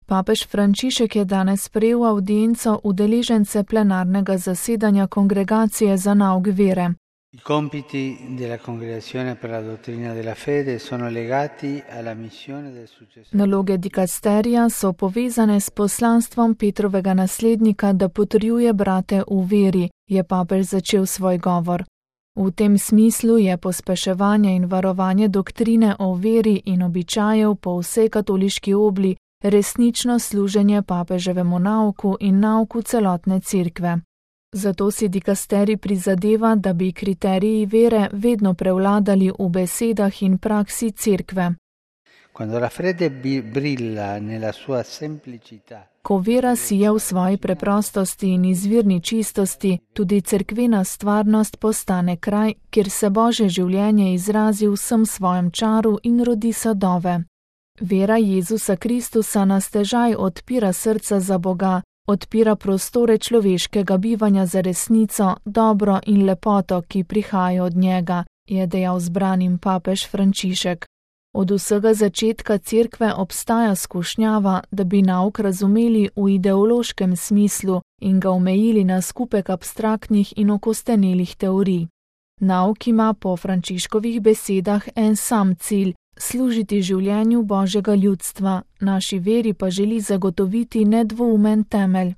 Papež Frančišek je danes sprejel avdienco udeležence plenarnega zasedanja Kongregacije za nauk vere. I compiti della Congregazione per la dottrina della fede sono legati alla missione del successore. Naloge dikasterija so povezane s poslanstvom Petrovega naslednika, da potrjuje brate v veri, je papež začel svoj govor. V tem smislu je pospeševanje in varovanje doktrine o veri in običajev po vsej katoliški obli resnično služenje papeževemu nauku in nauku celotne cerkve. Zato si dikasterij prizadeva, da bi kriteriji vere vedno prevladali v besedah in praksi cerkve. Quando la fede brilla nella sua semplicità. Ko vera sije v svoji preprostosti in izvirni čistosti, tudi cerkvena stvarnost postane kraj, kjer se Božje življenje izrazi v vsem svojem čaru in rodi sadove. Vera Jezusa Kristusa na stežaj odpira srca za Boga, odpira prostore človeškega bivanja za resnico, dobro in lepoto, ki prihaja od njega, je dejal zbranim papež Frančišek. Od vsega začetka cerkve obstaja skušnjava, da bi nauk razumeli v ideološkem smislu in ga omejili na skupek abstraktnih in okostenelih teorij. Nauk ima po Frančiškovih besedah en sam cilj: služiti življenju Božjega ljudstva, naši veri pa želi zagotoviti nedvoumen temelj.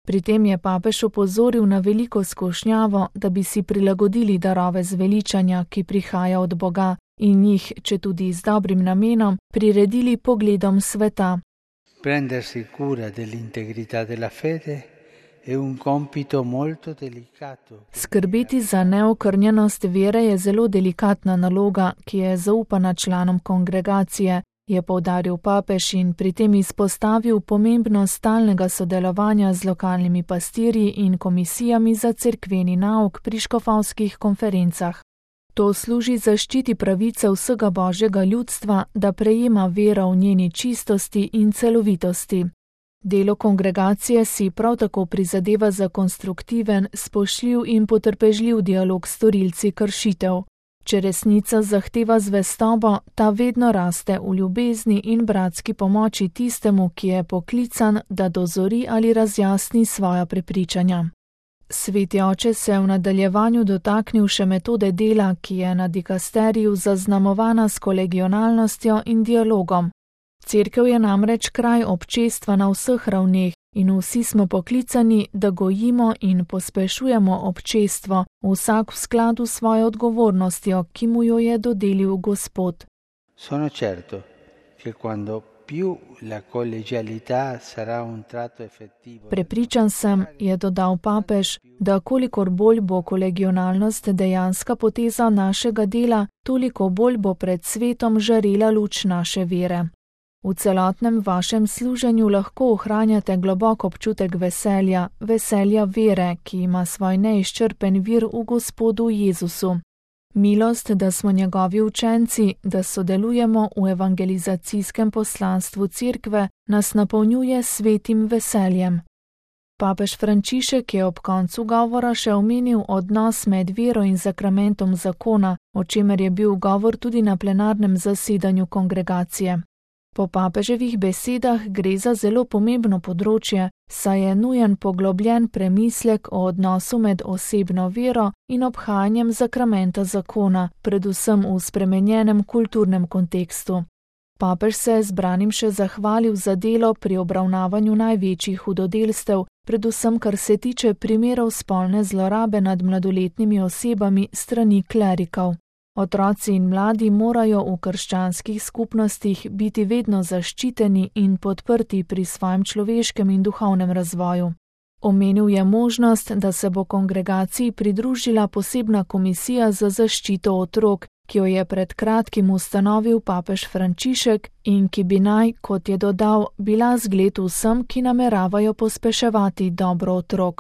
Pri tem je papež opozoril na veliko skušnjavo, da bi si prilagodili darove zveličanja, ki prihaja od Boga, in jih, če tudi z dobrim namenom, priredili pogledom sveta. Prendersi cura dell'integrità della fede è un compito molto delicato. Skrbeti za neokrnjenost vere je zelo delikatna naloga, ki je zaupana članom kongregacije, je poudaril papež in pri tem izpostavil pomembnost stalnega sodelovanja z lokalnimi pastirji in komisijami za cerkveni nauk pri škofovskih konferencah. To služi zaščiti pravice vsega Božjega ljudstva, da prejema vero v njeni čistosti in celovitosti. Delo kongregacije si prav tako prizadeva za konstruktiven, spoštljiv in potrpežljiv dialog s storilci kršitev. Če resnica zahteva zvestobo, ta vedno raste v ljubezni in bratski pomoči tistemu, ki je poklican, da dozori ali razjasni svoja prepričanja. Sveti oče se je v nadaljevanju dotaknil še metode dela, ki je na dikasteriju zaznamovana s kolegionalnostjo in dialogom. Cerkev je namreč kraj občestva na vseh ravneh in vsi smo poklicani, da gojimo in pospešujemo občestvo, vsak v skladu s svojo odgovornostjo, ki mu jo je dodelil Gospod. Sono certo che quando più la collegialità sarà un tratto effettivo. Prepričan sem, je dodal papež, da kolikor bolj bo kolegionalnost dejanska poteza našega dela, toliko bolj bo pred svetom žarela luč naše vere. V celotnem vašem služenju lahko ohranjate globok občutek veselja, veselja vere, ki ima svoj neizčrpen vir v Gospodu Jezusu. Milost, da smo njegovi učenci, da sodelujemo v evangelizacijskem poslanstvu cerkve, nas napolnjuje svetim veseljem. Papež Frančišek je ob koncu govora še omenil odnos med vero in zakramentom zakona, o čemer je bil govor tudi na plenarnem zasedanju kongregacije. Po papeževih besedah gre za zelo pomembno področje, saj je nujen poglobljen premislek o odnosu med osebno vero in obhajanjem zakramenta zakona, predvsem v spremenjenem kulturnem kontekstu. Papež se je zbranim še zahvalil za delo pri obravnavanju največjih hudodelstev, predvsem kar se tiče primerov spolne zlorabe nad mladoletnimi osebami strani klerikov. Otroci in mladi morajo v krščanskih skupnostih biti vedno zaščiteni in podprti pri svojem človeškem in duhovnem razvoju. Omenil je možnost, da se bo kongregaciji pridružila posebna komisija za zaščito otrok, ki jo je pred kratkim ustanovil papež Frančišek in ki bi naj, kot je dodal, bila zgled vsem, ki nameravajo pospeševati dobro otrok.